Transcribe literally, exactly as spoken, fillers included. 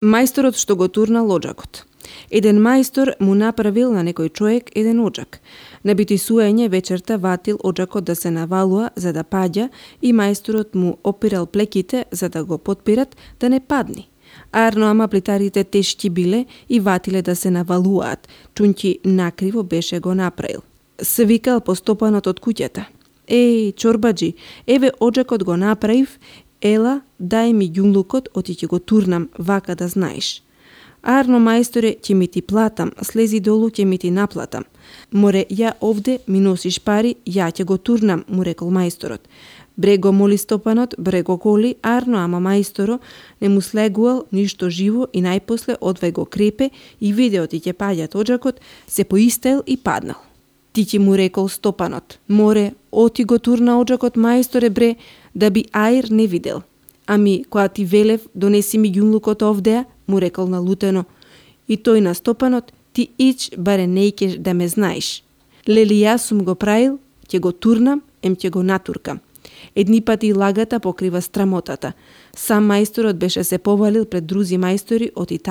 Мајсторот што го турнал оџакот. Еден мајстор му направил на некој човек еден оџак. На битисување вечерта ватил оџакот да се навалува за да паѓа и мајсторот му опирал плеките за да го потпират да не падне. Арно ама плитарите тешки биле и ватиле да се навалуваат, чунќи накриво беше го направил. Се викал постопанот од куќата. Еј, чорбаджи, еве оџакот го направив, ела, дај ми ѓунлукот, оти ќе го турнам, вака да знаеш. Арно мајсторе, ќе ми ти платам, слези долу, ќе ми ти наплатам. Море, ја овде ми носиш пари, ја ќе го турнам, му рекол мајсторот. Бре го моли стопанот, бре го коли, арно ама мајсторо не му слегувал ништо живо и најпосле одвај го крепе и видео ти ќе паѓат оџакот, се поистел и паднал. Ти ќе му рекол стопанот, море, оти го турна оџакот мајсторе бре, да би аир не видел. Ами, која ти велев, донеси ми ѓунлукот овдеа, му рекол налутено. И тој на стопанот, ти ич, баре нејкеш да ме знаеш. Лели јас сум го правил, ќе го турнам, ем ќе го натуркам. Едни пати лагата покрива страмотата. Сам мајсторот беше се повалил пред друзи мајстори од Италија.